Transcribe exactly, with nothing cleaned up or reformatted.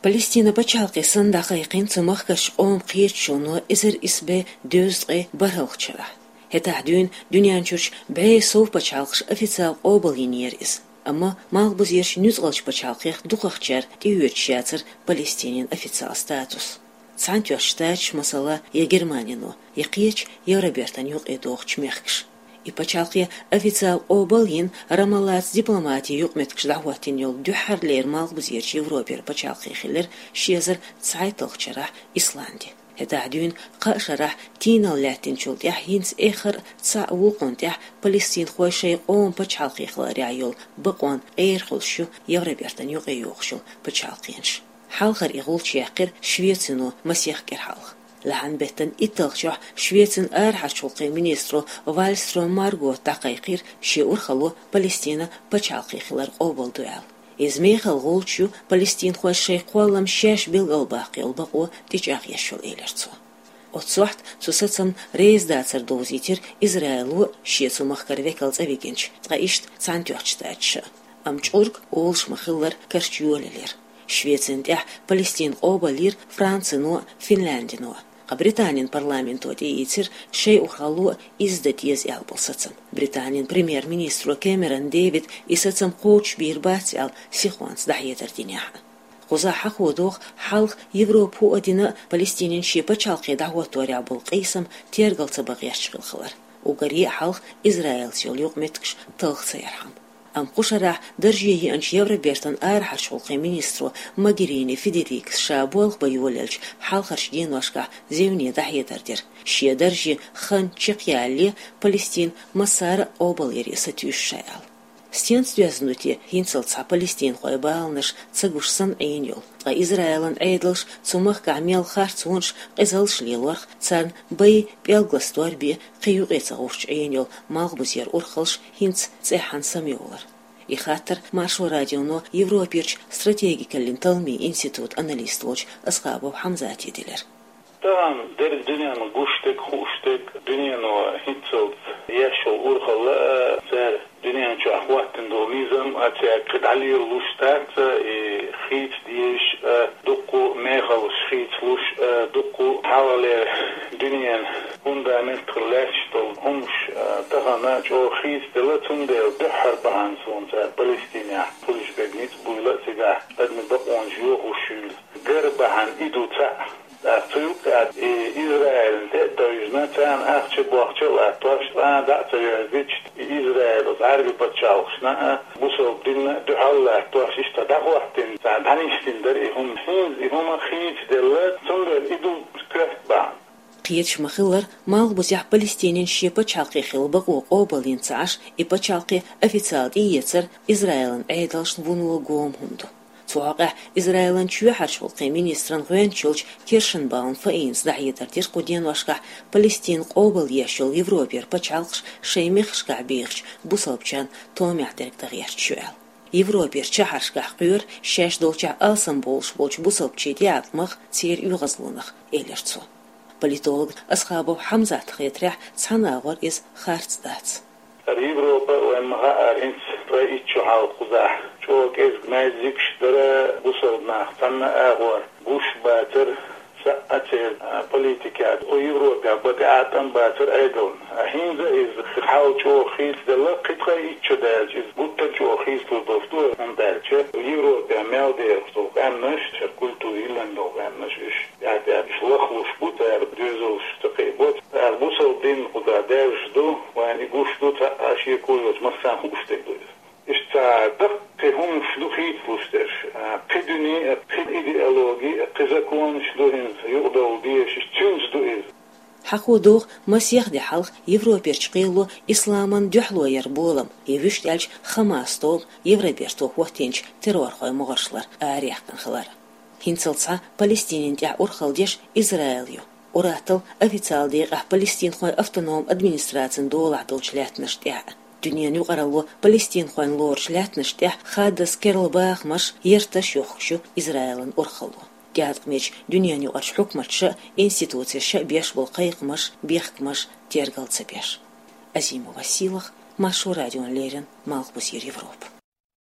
Палестина пачхьалкхе санна дӀакхайкхина цу махкарчу къоман кхеташоно эзар исс бӀе дезткъе бархӀалгӀачу шарахь. ХӀетахь дуьйна дуьнен чуьрчу бӀе сов пачхьалкхаша официал къобал йинера иза. Амма малхбузерчу нуьцкъалчу пачхьалкхех дукхахчара тӀеоьцуш яцара Палестинин официал статус. Цхьаьнатоьхначу Штаташа, масала, я Германино, я кхечу Евробертан юкъе догӀучу мехкаша. И пачхьалкхе официал къобал а йина, Рамаллаца дипломатин юкъаметтигаш дӀахӀоттийна йолу дуьххьарлера малхбузерчу Европера пачхьалкхе хилира ши эзар цхьайтталгӀачу шарахь Исланди. ХӀетахь дуьйна кхаа шарахь тийналла лаьттинчул тӀаьхьа хӀинца эххар а цхьаъ вукхунна тӀехь палестинхой шайн къоман пачхьалкхе хиларехь йолу бакъонан къера хуьлуш ю Евробертан юкъе йогӀуш йолу пачхьалкхенаш. Хьалхара и гӀулч яьккхира Швецино масех кӀира хьалха. Лахьан беттан итталгӀачохь Швецин арахьарчу гӀуллакхийн министро Вальстрём Маргота дӀакхайкхийра шен урхалло Палестина пачхьалкхе хилар къобалдо аьлла. Иза мехала гӀулч ю палестинхойн шайн кхоллам шаьш билгалбаккха йолу бакъо тӀечӀагӀъеш йолу, элира цо. Оццу сохьта цу сацамна реза дацар довзийтира Израило а, шен цу махкара векал цӀа вигинчу, ткъа иштта Цхьаьнатоьхначу Штаташа а. Амма чкъург олуш ма-хиллара карчу йолаелира. Швецина тӀехь Палестина къобалйира Францино а, Финляндино а. Ткъа Британин парламенто тӀеийцира шайн урхалло а иза дан деза аьлла болу сацам, Британин премьер-министро Кэмерон Дэвида и сацам кхочушбийр бац аьлла сихонца дӀахьедар динехь а. Кхузахь хьахо догӀу хьалха Европа хӀуъа дина а Палестинин шен пачхьалкхе дӀахӀотторехь болу къийсам тергал ца бан гӀерташ хилла хилар, уггаре а хьалха Израилца йолу юкъаметтигаш талха ца ярхьама. Амма кху шарахь дарже еанчу Евробертан арахьарчу гӀуллакхийн министро Могерини Федерикас ша болх бан йолаелчу хьалхарчу деношкахь зевне дӀахьедар дира, шен дарже хан чекхъялале Палестина массара а къобалъяре сатуьйсу ша аьлла. Стенца доьзна ду те хӀинццалц цхьа палестинхойн баланаш ца гуш санна Ӏийна йолу, ткъа Израилан Ӏедалша цу махкахь мел харцонаш, къизаллаш лелорх, царна бай пӀелг ластор бен кхин юкъе ца гӀуттуш Ӏийна йолу малхбузера урхаллаш хӀинца цӀеххьана самайовлар? И хаттар Маршо радионо Европерчу стратегикаллин талламийн институтан аналист волчу Асхабов Хьамзате делира. Тахана дерриг дуьненна гуш дерг, хууш дерг, дуьнено хӀинццалц еш йолу урхалла а, цара дуьнен чохь хӀоттийна долу низам а, цаьрга кхин дӀалелалуш дац а, и хийца дезаш а, дуккха а мехаллаш хийцалуш а, дуккха а хьалхалера дуьненан фундамент хилла лаьтташ долу хӀумнаш а, тахана чӀогӀа хийцаделла, цундела дуьххьара бахьана суна цара Палестинехь хуьлуш берг ницкъ буйла а, цигахь адамийн бакъонаш йохош юйла гар бахьана и ду цхьаъ. ТӀаккха цу юккъехь и Израилна тӀе а тевжина, царна ахча а, бохча а латтош, цкъа а дӀа а ца верзича, и Израил оцу Ӏаьрбийн пачхьалкхашна а, бусалба динна а дуьхьал латтош, иштта дӀахӀоттийна, царна дӀанисдина дара и хӀума. ХӀинца и хӀума хийцаделла, цундела и ду коьрта бахьана. Кхеташ ма-хиллара, малхбузехь Палестинин шен пачхьалкхе хила бакъо къобалйина ца Ӏаш, и пачхьалкхе официал тӀеэцар Израилан Ӏедалшна вуно гома хӀума ду. Цу хьокъехь Израилан чоьхьарчу гӀуллакхийн министран гӀоьнча йолчу Киршенбаум Фаинас дӀахьедар дира кху деношкахь Палестина къобалъеш йолу Европера пачхьалкхаш шайн мехкашкахь бехачу бусалбачарна томехь дерг дан гӀерташ ю аьлла. Европера чоьхьаршкахь кхоьру шаьш долчохь алсамбовлуш болчу бусалбачийн тӀеӀаткъамах, церан оьгӀазлонах, элира цо. Политолог Асхабов Хьамзатна хетарехь, цхьана агӀор иза харц дац. Европа, вайн ма хаьара, хӀинца ткъе итт шо хьалха кхузахь чӀогӀа кӀезиг маьждигаш дара, бусалба нах цхьана агӀор гуш бацара, саъа церан политикехь. Кху Европехь бан тӀеӀаткъам бацара Ӏедална. ХӀинца иза хьал чӀогӀа хийцаделла, кхин ткъе итт шо даьлча иза гуттар а чӀогӀа хийцалур долуш ду, хӀунда аьлча Европехь мел дехаш долу къаьмнаш, шайн культура йиллина долу къаьмнаш, уьш тӀаьхь-тӀаьхьа уьш лахлуш бу, цара доьзалш ца кхиабо. Цара бусалба дин кхузахь даьржаш ду, вайна и гуш ду, цхьа а шеко йоцуш, массарна хууш дерг ду иза. Иштта цхьа даккхий хӀумнаш ду хийцалуш дерш, а, кхин дуьне а, кхин идеологи а, кхин законаш ду хӀинца юкъадовла дезаш, цуьнца ду иза. Хьахо догӀу, масех де хьалха Европерчу кхело исламан дуьхьало яран болам, я вуьшта аьлча Хамас тобан Евроберто хӀоттийначу террорхойн могӀаршлара араяьккхина хилар. ХӀинцалц цхьа Палестинина тӀехь урхалла деш Израил ю. Ур-атталла официал декъехь палестинхойн автономни администрацин долахь долчу лаьттанашна тӀехь а. Дуьненан юкъаралло палестинхойн лоручу лаьттанашна тӀехь хаддаза керла бахамаш, ярташ йохкуш ю Израилан урхалло. ТӀеӀаткъамечу дуьненаюкъарчу хьукматаша а, институцеша а беш болу кхайкхамаш, бехкамаш тергал ца беш. Азимова Сийлаха, Маршо радиона леррина, Малхбузера Европа.